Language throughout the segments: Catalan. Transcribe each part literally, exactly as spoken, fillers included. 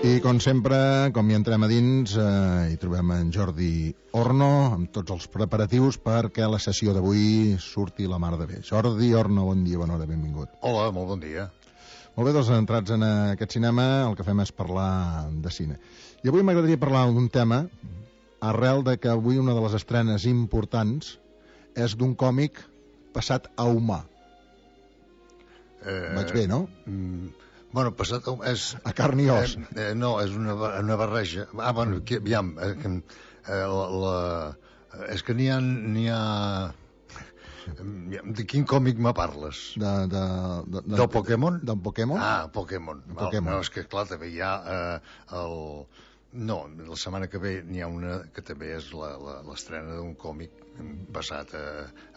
I com sempre, com hi entrem a dins, eh, hi trobem en Jordi Orno amb tots els preparatius perquè la sessió d'avui surti la mar de bé. Jordi Orno, bon dia, bona hora, benvingut. Hola, molt bon dia. Molt bé, doncs entrats en aquest cinema el que fem és parlar de cine. I avui m'agradaria parlar d'un tema arrel de que avui una de les estrenes importants és d'un còmic passat a humà. Eh, Vaig bé, no? Mm, bueno, passat a... És, a carn i os. Eh, eh, no, és una, una barreja. Ah, bueno, que, aviam, eh, eh, la, la, és que n'hi ha... N'hi ha... De quin còmic me parles? De, de, de, de, Del Pokémon? Del Pokémon? Ah, Pokémon. Pokémon. No, és que clar, també hi ha eh, el... No, la setmana que ve n'hi ha una que també és l'estrena d'un còmic basat a,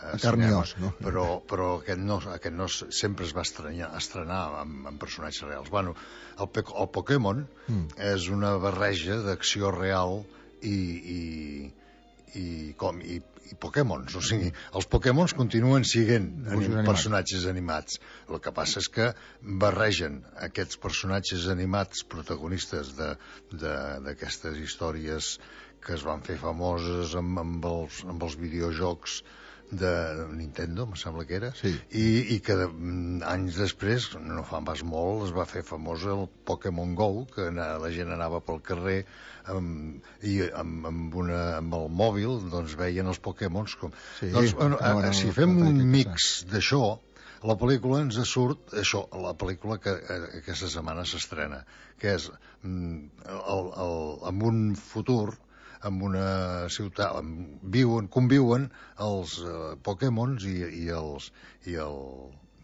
a, a cinema, no? però, però aquest, no, aquest no sempre es va estrenar, estrenar amb, amb personatges reals. Bueno, el, el Pokémon mm. és una barreja d'acció real i, i, i, com, i, i Pokémons, o sigui, els Pokémons continuen sent anim, personatges animats. El que passa és que barregen aquests personatges animats protagonistes d'aquestes històries que es van fer famoses amb, amb, els, amb els videojocs de Nintendo, em sembla que era, sí. i, i que de, anys després, no fa pas molt, es va fer famós el Pokémon Go, que la gent anava pel carrer amb, i amb, amb, una, amb el mòbil doncs veien els Pokémons com... Sí, doncs, bueno, no, no, si no, fem no, un mix d'això, la pel·lícula ens surt això, la pel·lícula que aquesta setmana s'estrena, que és el, el, amb un futur en una ciutat on viuen, conviuen els uh, Pokémons i, i, els, i, el,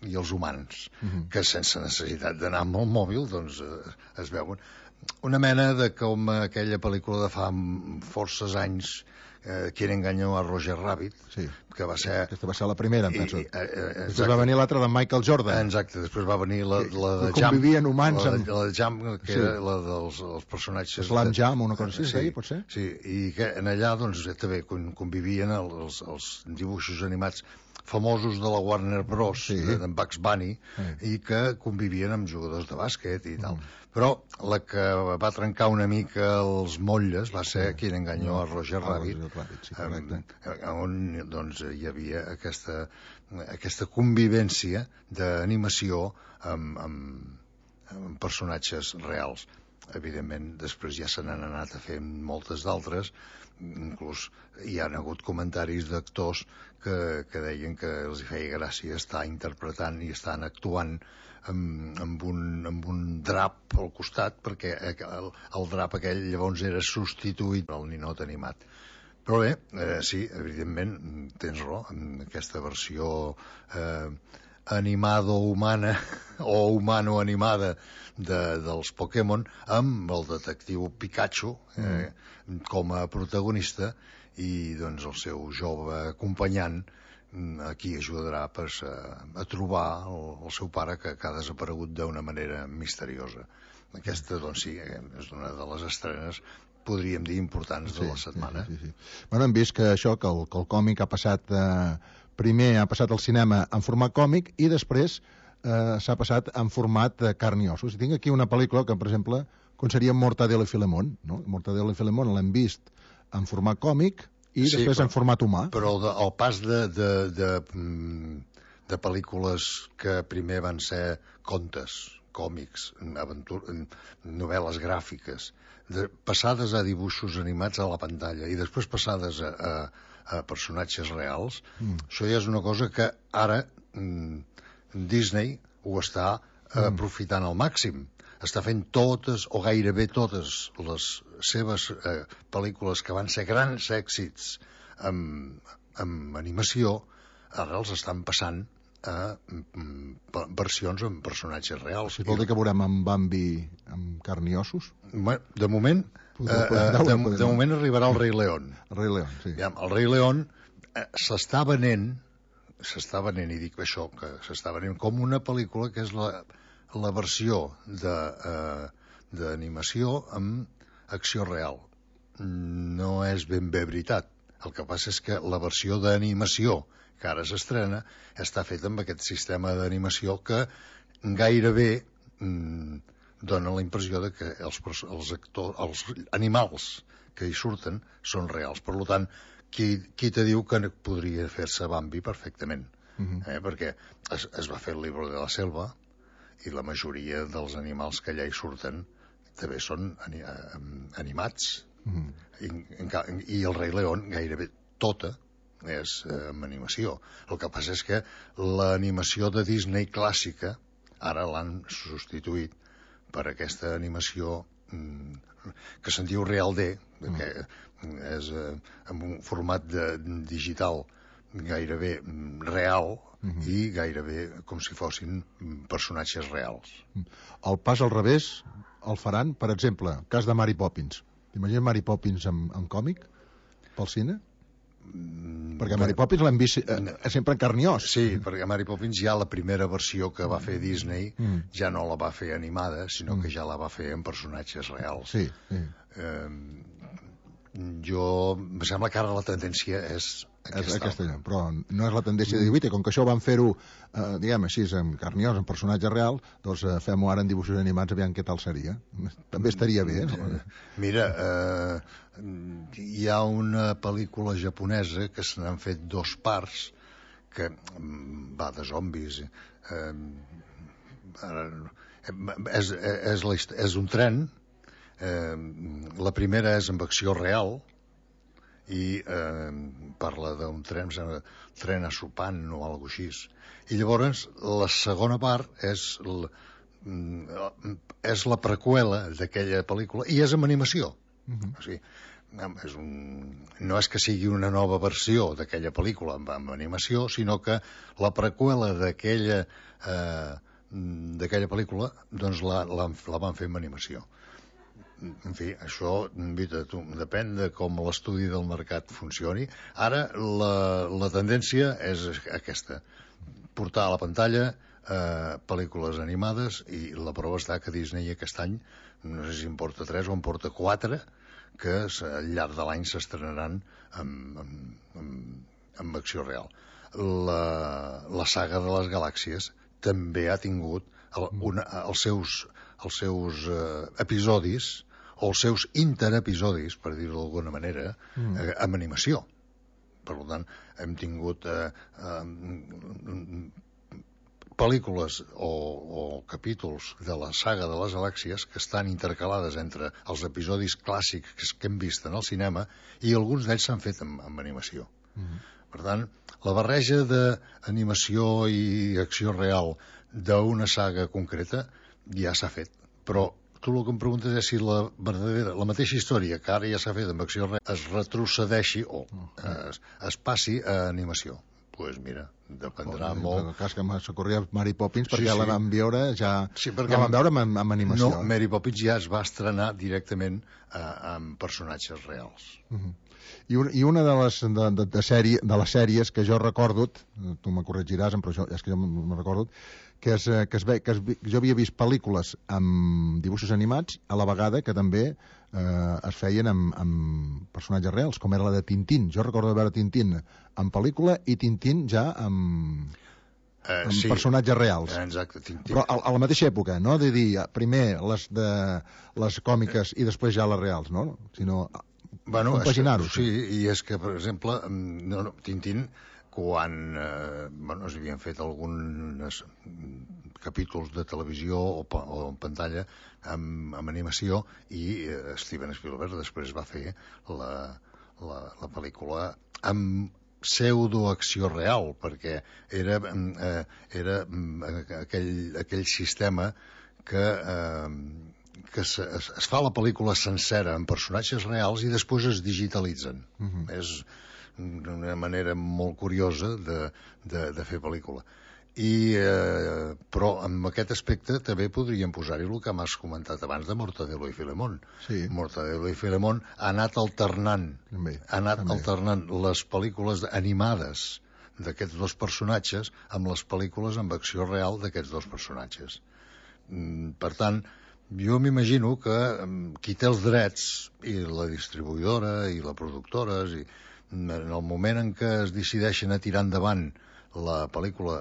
i els humans, uh-huh. que sense necessitat d'anar amb el mòbil doncs uh, es veuen. Una mena de com aquella pel·lícula de fa forces anys, eh, Qui enganyó a Roger Rabbit, sí. que va ser... Aquesta va ser la primera, em penso. I, eh, després va venir l'altra de Michael Jordan. Exacte, després va venir la, la de que Jam. Convivien humans la, amb... la de Jam, que sí. era la dels els personatges... Slam de... Jam, una cosa així, sí, pot ser? Sí, i que en allà doncs també convivien els, els dibuixos animats famosos de la Warner Bros, sí. d'en Bugs Bunny, sí. i que convivien amb jugadors de bàsquet i tal. Mm. Però la que va trencar una mica els motlles va ser sí. Qui enganyó no. a Roger ah, Rabbit, Rabbit sí, correcte. on doncs, hi havia aquesta, aquesta convivència d'animació amb, amb, amb personatges reals. Evidentment, després ja se n'han anat a fer moltes d'altres, inclús hi ha hagut comentaris d'actors que, que deien que els feia gràcia estar interpretant i estan actuant amb, amb, un, amb un drap al costat, perquè el, el drap aquell llavors era substituït pel ninot animat. Però bé, eh, sí, evidentment, tens raó, en aquesta versió eh, animado-humana o humano-animada de, dels Pokémon, amb el detectiu Pikachu eh, mm. com a protagonista i doncs el seu jove acompanyant a qui ajudarà pues, a, a trobar el, el seu pare que, que ha desaparegut d'una manera misteriosa. Aquesta, doncs sí, és una de les estrenes, podríem dir, importants de la setmana. Sí, sí, sí, sí. Bueno, hem vist que això, que el, que el còmic ha passat, eh, primer ha passat al cinema en format còmic i després eh, s'ha passat en format de carn i ossos. I tinc aquí una pel·lícula que, per exemple, com seria Mortadelo i Filemón, no? Mortadelo i Filemón l'hem vist en format còmic i sí, després però, en format humà. Però de, el pas de, de, de, de pel·lícules que primer van ser contes, còmics, aventur, novel·les gràfiques, de, passades a dibuixos animats a la pantalla i després passades a, a, a personatges reals, mm. això ja és una cosa que ara mm, Disney ho està mm. aprofitant al màxim. Està fent totes, o gairebé totes, les seves eh, pel·lícules que van ser grans èxits amb, amb animació, ara els estan passant a mm, versions amb personatges reals. Si vol dir que veurem en Bambi amb carn i ossos? Bueno, de moment, podeu, podeu, eh, de, de, de moment arribarà el Rei León. El Rei León, sí. Ja, el Rei León eh, s'està venent, s'està venent, i dic això, que s'està venent com una pel·lícula que és la, la versió d'animació eh, amb acció real. No és ben bé veritat. El que passa és que la versió d'animació que ara s'estrena està feta amb aquest sistema d'animació que gairebé mm, dona la impressió de que els, els, actors, els animals que hi surten són reals. Per tant, qui, qui te diu que podria fer-se Bambi perfectament? Uh-huh. eh? Perquè es, es va fer el Libro de la Selva i la majoria dels animals que allà hi surten també són ani, animats. Uh-huh. I, I el Rei León gairebé tota és eh, amb animació. El que passa és que l'animació de Disney clàssica ara l'han substituït per aquesta animació mm, que se'n diu Real D, mm. que és eh, en un format de, digital gairebé real mm-hmm. i gairebé com si fossin personatges reals. El pas al revés el faran, per exemple, cas de Mary Poppins. T'imagines Mary Poppins en, en còmic pel cine? Mm, perquè Mary Poppins l'hem vist eh, sempre en carn i os. Sí, perquè Mary Poppins ja la primera versió que va fer Disney mm. ja no la va fer animada, sinó mm. que ja la va fer en personatges reals. Sí, sí. Eh, jo... Em sembla que ara la tendència és aquesta. aquesta però no és la tendència de dir, com que això van fer-ho, eh, diguem així, en carn i os, en personatge real, doncs eh, fem-ho ara en dibuixos animats, aviam què tal seria. També estaria bé, no? Mira, eh, hi ha una pel·lícula japonesa que se n'han fet dos parts, que va de zombis. Eh, és, és, la, és un tren, eh, la primera és amb acció real, i eh, parla d'un tren, tren a Supan o alguna cosa així. I llavors la segona part és, l, és la preqüela d'aquella pel·lícula i és amb animació. Uh-huh. O sigui, és un, no és que sigui una nova versió d'aquella pel·lícula amb, amb animació, sinó que la preqüela d'aquella eh, d'aquella pel·lícula doncs la, la, la van fer amb animació. En fi, això tu, depèn de com l'estudi del mercat funcioni. Ara la, la tendència és aquesta, portar a la pantalla eh, pel·lícules animades, i la prova està que Disney aquest any, no sé si en porta tres o en porta quatre, que al llarg de l'any s'estrenaran amb, amb, amb, amb acció real. La, la saga de les galàxies també ha tingut el, una, els seus, els seus eh, episodis o els seus interepisodis, per dir-ho d'alguna manera, mm. eh, amb animació. Per tant, hem tingut eh, eh, pel·lícules o, o capítols de la saga de les galàxies que estan intercalades entre els episodis clàssics que hem vist en el cinema, i alguns d'ells s'han fet amb, amb animació. Mm. Per tant, la barreja d'animació i acció real d'una saga concreta ja s'ha fet, però tu el que em preguntes és si la verdadera, la mateixa història que ara ja s'ha fet amb acció real es retrocedeixi o es, es passi a animació. Doncs pues mira, dependrà oh, molt. En el cas que s'ocorria Mary Poppins, perquè sí, ja la vam veure, ja, sí, ja la vam veure amb, amb animació. No, Mary Poppins ja es va estrenar directament eh, amb personatges reals. Uh-huh. I, un, I una de les, de, de, de, sèrie, de les sèries que jo recordo, tu me corregiràs, però això, és que jo me recordo, que, és, que, es ve, que es, jo havia vist pel·lícules amb dibuixos animats a la vegada que també eh, es feien amb, amb personatges reals, com era la de Tintín. Jo recordo de veure Tintín en pel·lícula i Tintín ja amb, uh, amb sí. personatges reals. Exacte, Tintín. Però a, a la mateixa època, no? De dir, primer les, de, les còmiques i després ja les reals, no? Sinó bueno, compaginar-ho. Sí, i és que, per exemple, no, no, Tintín, quan eh, bueno, es havien fet alguns capítols de televisió o, o en pantalla amb, amb animació, i eh, Steven Spielberg després va fer la, la, la pel·lícula amb pseudoacció real, perquè era, eh, era aquell, aquell sistema que, eh, que es, es fa la pel·lícula sencera amb personatges reals i després es digitalitzen. Uh-huh. És una manera molt curiosa de, de, de fer pel·lícula. I, eh, però amb aquest aspecte també podríem posar-hi el que m'has comentat abans de Mortadelo i Filemón. Sí. Mortadelo i Filemón ha anat alternant, també, ha anat també. alternant les pel·lícules animades d'aquests dos personatges amb les pel·lícules amb acció real d'aquests dos personatges. Per tant, jo m'imagino que qui té els drets, i la distribuïdora i la productora, i en el moment en què es decideixen a tirar endavant la pel·lícula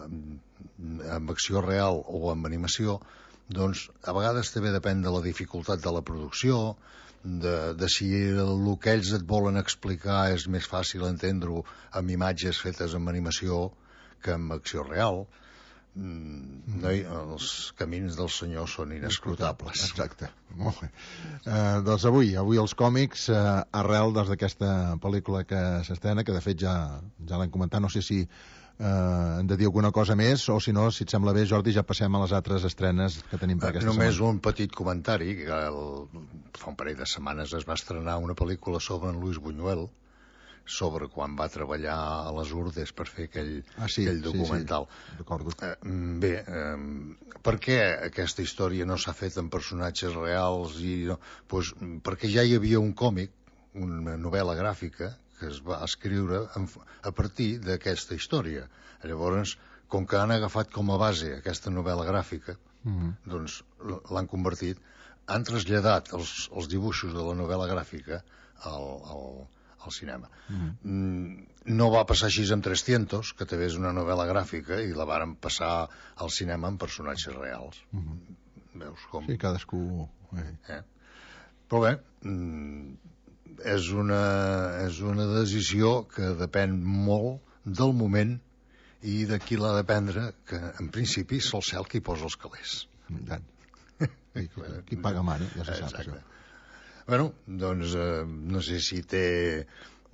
amb acció real o amb animació, doncs a vegades també depèn de la dificultat de la producció, de, de si el que ells et volen explicar és més fàcil entendre-ho amb imatges fetes amb animació que amb acció real. Mm, no, els camins del senyor són inescrutables. Exacte, molt bé. Uh, doncs avui, avui els còmics, uh, arrel d'aquesta pel·lícula que s'estrena, que de fet ja, ja l'hem comentat, no sé si uh, hem de dir alguna cosa més, o si no, si et sembla bé, Jordi, ja passem a les altres estrenes que tenim per aquesta Només setmana. un petit comentari, que el, fa un parell de setmanes es va estrenar una pel·lícula sobre en Luis Buñuel, sobre quan va treballar a les Urdes per fer aquell, ah, sí, aquell documental. Sí, sí. Recordo. Eh, bé, eh, per què aquesta història no s'ha fet amb personatges reals? I no? Pues, perquè ja hi havia un còmic, una novel·la gràfica, que es va escriure a partir d'aquesta història. Llavors, com que han agafat com a base aquesta novel·la gràfica, mm-hmm. doncs l'han convertit, han traslladat els, els dibuixos de la novel·la gràfica al... al al cinema. Mm. No va passar així amb trescientos, que també és una novel·la gràfica, i la varen passar al cinema amb personatges reals. Mm. Veus com... Sí, cadascú... Eh? Però bé, és una, és una decisió que depèn molt del moment i de qui l'ha de prendre, que en principi sol ser el qui posa els calés. Tant. Qui, qui paga mare, ja se sap això. Bueno, doncs eh, no sé si t'he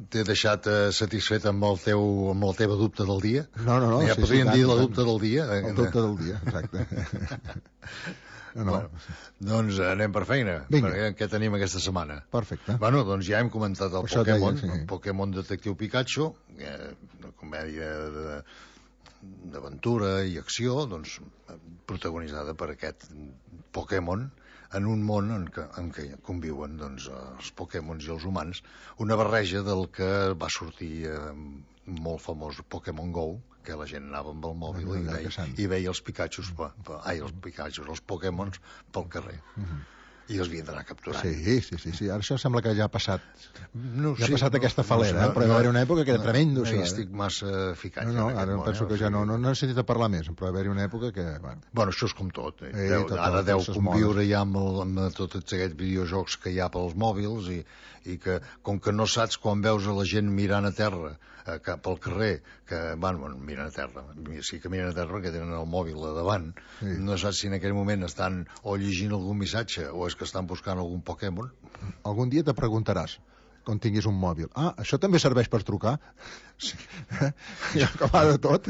t'he deixat eh, satisfet amb el teu amb la teva dubte del dia. No, no, no. Ja sí, podríem sí, dir tant, la tant. dubte del dia. El dubte del dia, exacte. no, no. Bueno, doncs anem per feina. Vinga. Perquè què tenim aquesta setmana? Perfecte. Bueno, doncs ja hem comentat el Això Pokémon, deia, sí. el Pokémon Detectiu Pikachu, eh, una comèdia de, d'aventura i acció, doncs protagonitzada per aquest Pokémon en un món en què, en què conviuen doncs, els Pokémons i els humans, una barreja del que va sortir eh, molt famós Pokémon Go, que la gent anava amb el mòbil i veia, i veia els Pikachus, pa, pa, ai, els Pikachus, els Pokémons pel carrer. Uh-huh. I els havien d'anar capturant. Sí, sí, sí, sí. Ara això sembla que ja ha passat, no, ja ha sí, passat no, aquesta falera, no, eh? Però no, va haver una època que era no, tremendo, no, això. No eh? estic massa ficat. No, no, ara món, penso eh? que ja no, no, no he sentit a parlar més, però va haver una època que... Bueno, bueno això és com tot. Eh? Eh, deu, tot, ara tot, deu tot conviure ja amb, el, amb tots aquests videojocs que hi ha pels mòbils i, i que, com que no saps quan veus a la gent mirant a terra eh, cap al carrer, que van, bueno, miren a terra, sí que miren a terra perquè tenen el mòbil a davant, sí. No saps si en aquell moment estan o llegint algun missatge o és que estan buscant algun Pokémon. Algun dia te preguntaràs, quan tinguis un mòbil, ah, això també serveix per trucar? Sí. I acabar de tot.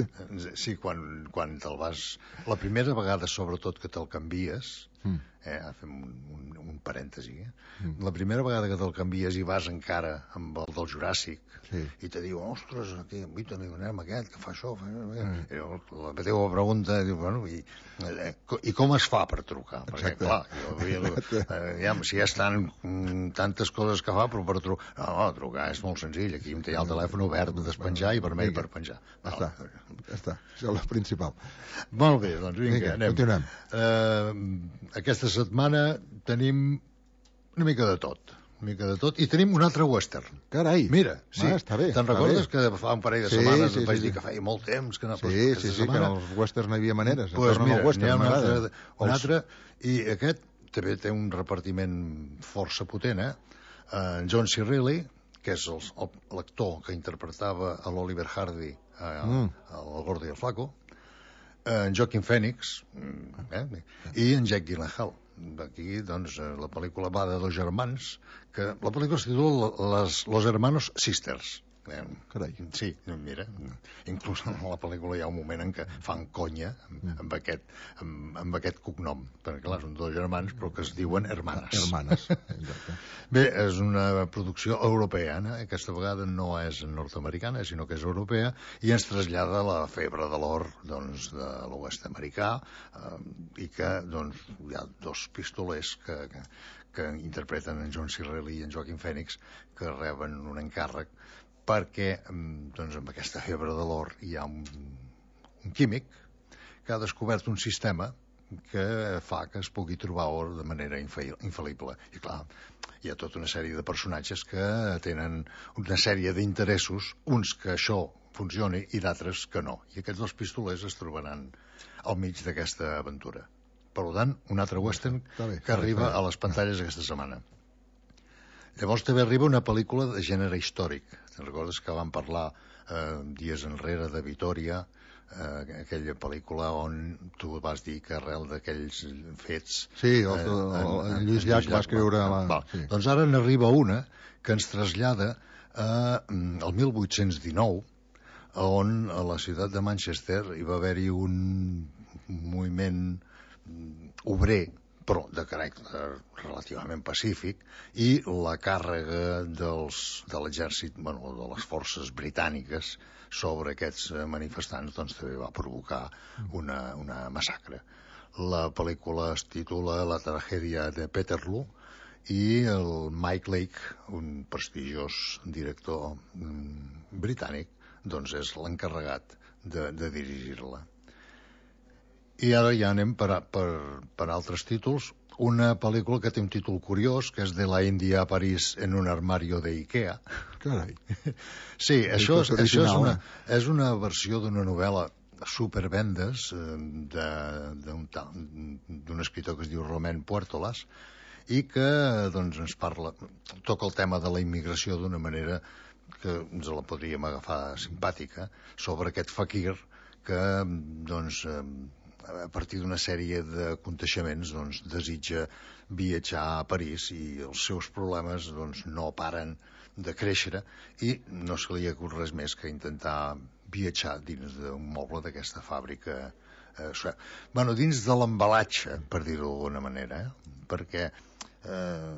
Sí, quan, quan te'l vas... La primera vegada, sobretot, que te'l canvies, mm. eh, fem un, un, un parèntesi, eh? Mm. La primera vegada que te'l canvies i vas encara amb el del Juràssic, sí. I te diu, ostres, aquí, invita, anem aquest, que fa això, fa això. Mm. I la teva pregunta, diu, bueno, i, eh, i com es fa per trucar? Perquè, exacte. Clar, jo, eh, ja, si ja estan mm, tantes coses que fa, però per trucar... No, no, trucar és molt senzill, aquí em té el telèfon obert, despenjar i vermell per penjar. Ja està, ja està, això és el principal. Molt bé, doncs vinga, vinga anem. Continuem. Uh, aquesta setmana tenim una mica de tot, una mica de tot, i tenim un altre western. Carai! Mira, sí, ah, està bé. te'n recordes que fa un parell de sí, setmanes sí, vaig sí, dir que feia molt temps que no... Sí, sí, sí, setmana... que en els westerns no hi havia maneres. Pues mira, n'hi ha un altre, un els... altre, i aquest també té un repartiment força potent, eh? Uh, John C. Reilly, que és l'actor que interpretava a l'Oliver Hardy a, mm. al Gordo i el Flaco, en Joaquin Phoenix, eh? I en Jake Gyllenhaal. Aquí, doncs, la pel·lícula va de dos germans, que la pel·lícula es titula les, Los Hermanos Sisters. Carai. Sí, mira, inclús en la pel·lícula hi ha un moment en què fan conya amb, amb, aquest, amb, amb aquest cognom, perquè clar, són dos germans però que es diuen hermanes. Hermanes, exacte. Bé, és una producció europea, eh? Aquesta vegada no és nord-americana, sinó que és europea, i ens trasllada la febre de l'or, doncs, de l'oest americà, eh, i que, doncs, hi ha dos pistolers que, que, que interpreten en John C. Reilly i en Joaquin Phoenix, que reben un encàrrec perquè doncs, amb aquesta febre de l'or hi ha un, un químic que ha descobert un sistema que fa que es pugui trobar or de manera infal·lible. I clar, hi ha tota una sèrie de personatges que tenen una sèrie d'interessos, uns que això funcioni i d'altres que no. I aquests dos pistolers es trobaran al mig d'aquesta aventura. Per tant, un altre western bé, que arriba bé. a les pantalles aquesta setmana. Llavors també arriba una pel·lícula de gènere històric. Te'n recordes que vam parlar eh, dies enrere de Vitòria, eh, aquella pel·lícula on tu vas dir que arrel d'aquells fets... Sí, el, el, el, el Lluís Llach va escriure... Va, La... va. Sí. Doncs ara n'arriba una que ens trasllada a, al mil vuit-cents dinou, on a la ciutat de Manchester hi va haver-hi un moviment obrer, però de caràcter relativament pacífic, i la càrrega dels, de l'exèrcit, bueno, de les forces britàniques sobre aquests manifestants doncs també va provocar una, una massacre. La pel·lícula es titula La tragèdia de Peterloo i el Mike Lake, un prestigiós director mm, britànic, doncs és l'encarregat de, de dirigir-la. I ara ja anem per, a, per, per altres títols. Una pel·lícula que té un títol curiós, que és de la Índia a París en un armario de Ikea. Carai. Sí, això, és, això és, una, eh? és una versió d'una novel·la supervendes d'un escriptor que es diu Romain Puertolas, i que doncs, ens parla, toca el tema de la immigració d'una manera que ens la podríem agafar simpàtica, sobre aquest fakir que doncs, a partir d'una sèrie d'aconteixements doncs, desitja viatjar a París i els seus problemes doncs, no paren de créixer i no se li acut res més que intentar viatjar dins d'un moble d'aquesta fàbrica. Eh, bueno, dins de l'embalatge, per dir-ho d'alguna manera, eh? perquè eh,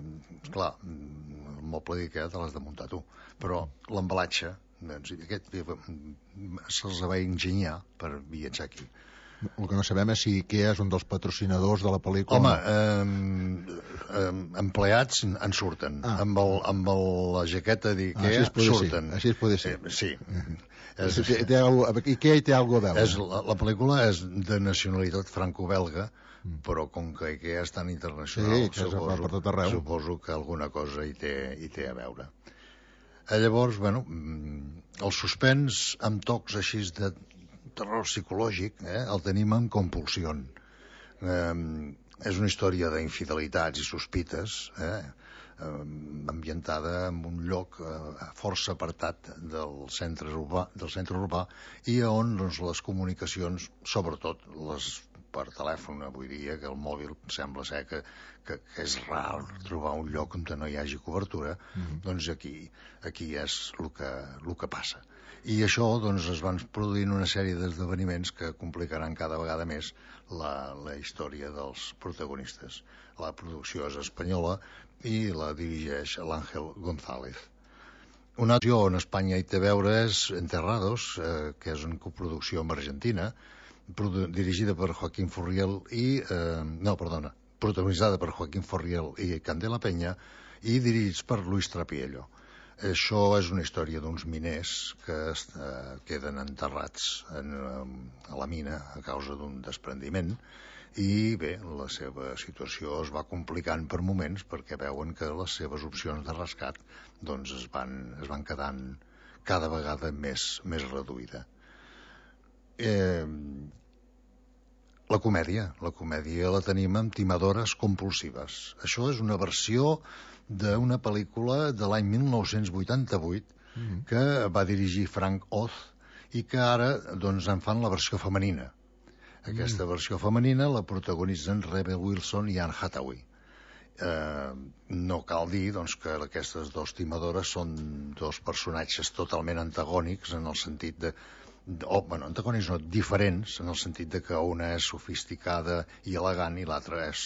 clar, el moble d'Ikea te l'has de muntar tu, però l'embalatge doncs, aquest se'ls va enginyar per viatjar aquí. El que no sabem és si Ikea és un dels patrocinadors de la pel·lícula. Home, eh, eh, empleats en surten. Ah. Amb, el, amb el, la jaqueta d'Ikea ah, surten. Ser. Així es pot ser. Eh, sí. és, té, té algo, Ikea hi té alguna cosa a veure. És, la, la pel·lícula és de nacionalitat franco-belga, mm. però com que Ikea és tan internacional, sí, suposo, per tot arreu. suposo que alguna cosa hi té, hi té a veure. Eh, llavors, bueno, el suspens amb tocs així de terror psicològic, eh, el tenim en Compulsió. Eh, és una història d'infidelitats i sospites, eh, eh, ambientada en un lloc eh, força apartat del centre urbà, del centre urbà i on doncs, les comunicacions, sobretot les per telèfon avui dia, que el mòbil sembla ser que, que, que és rar trobar un lloc on no hi hagi cobertura, mm-hmm. doncs aquí, aquí és el que, el que passa. I això doncs, es van produint una sèrie d'esdeveniments que complicaran cada vegada més la, la història dels protagonistes. La producció és espanyola i la dirigeix l'Àngel González. Una opció on Espanya hi té a veure és Enterrados, eh, que és una coproducció amb Argentina, dirigida per Joaquín Furriel i... Eh, no, perdona, protagonitzada per Joaquín Furriel i Candela Peña i dirigits per Luis Trapiello. Això és una història d'uns miners que eh, queden enterrats en, a la mina a causa d'un desprendiment i bé, la seva situació es va complicant per moments perquè veuen que les seves opcions de rescat doncs es van, es van quedant cada vegada més, més reduïda. Eh, la comèdia, la comèdia la tenim amb Timadores compulsives. Això és una versió d'una pel·lícula de l'any mil nou-cents vuitanta-vuit mm-hmm. que va dirigir Frank Oz i que ara doncs, en fan la versió femenina. Aquesta mm. versió femenina la protagonitzen Rebel Wilson i Anne Hathaway. Eh, no cal dir doncs, que aquestes dues timadores són dos personatges totalment antagònics en el sentit de o, bueno, antagònics no, diferents en el sentit de que una és sofisticada i elegant i l'altra és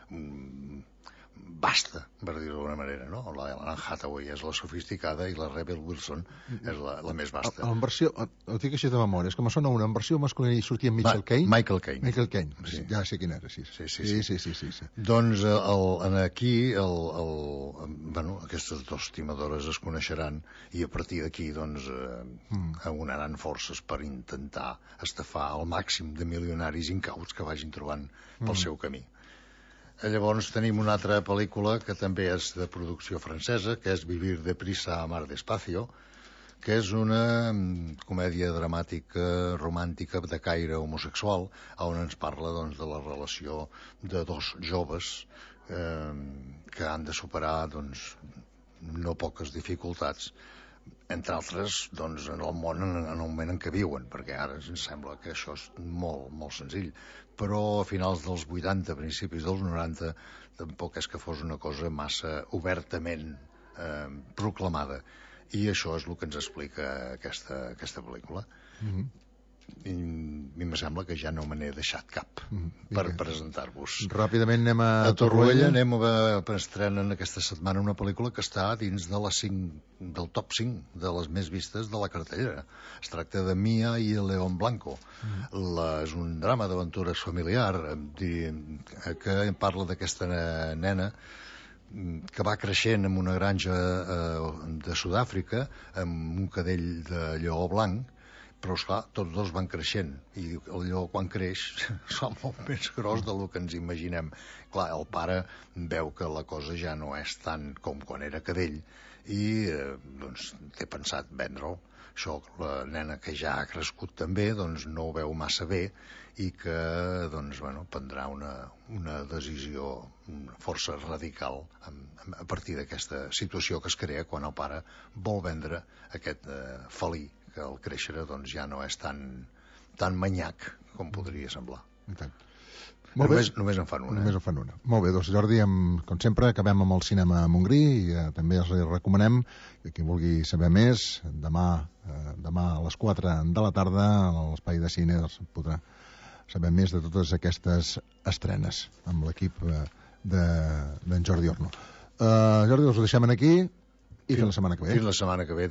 mm, basta, per dir-ho d'alguna manera, no? La Anne Hathaway és la sofisticada i la Rebel Wilson és la, la més basta. En versió, ho dic així de memòria, és que me sona una, en versió masculina hi sortia Michael Caine. Michael Caine. Michael Caine, sí. Ja sé quin era, sí. Sí, sí, sí. sí, sí, sí, sí, sí. Doncs el, en aquí el, el, bueno, aquestes dues timadores es coneixeran i a partir d'aquí doncs eh, mm. aunaran forces per intentar estafar el màxim de milionaris incauts que vagin trobant pel mm. seu camí. Llavors tenim una altra pel·lícula que també és de producció francesa, que és Vivir deprisa, amar despacio, que és una comèdia dramàtica, romàntica, de caire homosexual, on ens parla doncs, de la relació de dos joves eh, que han de superar doncs, no poques dificultats, entre altres doncs, en el món en, en el moment en què viuen, perquè ara ens sembla que això és molt, molt senzill, però a finals dels vuitanta, principis dels noranta, tampoc és que fos una cosa massa obertament eh, proclamada, i això és el que ens explica aquesta, aquesta pel·lícula. Mm-hmm. I a mi em sembla que ja no me n'he deixat cap mm, per presentar-vos. Ràpidament anem a, a Torroella. Anem a, a estrenen aquesta setmana una pel·lícula que està dins de les cinc, del top cinc de les més vistes de la cartellera. Es tracta de Mia i León Blanco. Mm. La, és un drama d'aventures familiar que parla d'aquesta nena que va creixent en una granja eh, de Sud-àfrica amb un cadell de lleó blanc, però esclar, tots dos van creixent i el lleó quan creix és molt més gros del que ens imaginem. Clar, el pare veu que la cosa ja no és tant com quan era cadell i eh, doncs té pensat vendre-ho. Això, la nena que ja ha crescut també doncs no ho veu massa bé i que doncs, bueno, prendrà una, una decisió força radical a partir d'aquesta situació que es crea quan el pare vol vendre aquest eh, felí que al créixer doncs, ja no és tan, tan manyac com podria semblar. Molt només, bé. només en fan una. Només eh? en fan una. Molt bé, doncs Jordi, amb, com sempre, acabem amb el cinema a Montgrí i eh, també els recomanem que qui vulgui saber més, demà, eh, demà a les quatre de la tarda a l'espai de cine doncs, podrà saber més de totes aquestes estrenes amb l'equip eh, d'en Jordi Orno. Uh, Jordi, us ho deixem aquí i fins la setmana que ve. Fins la setmana que ve.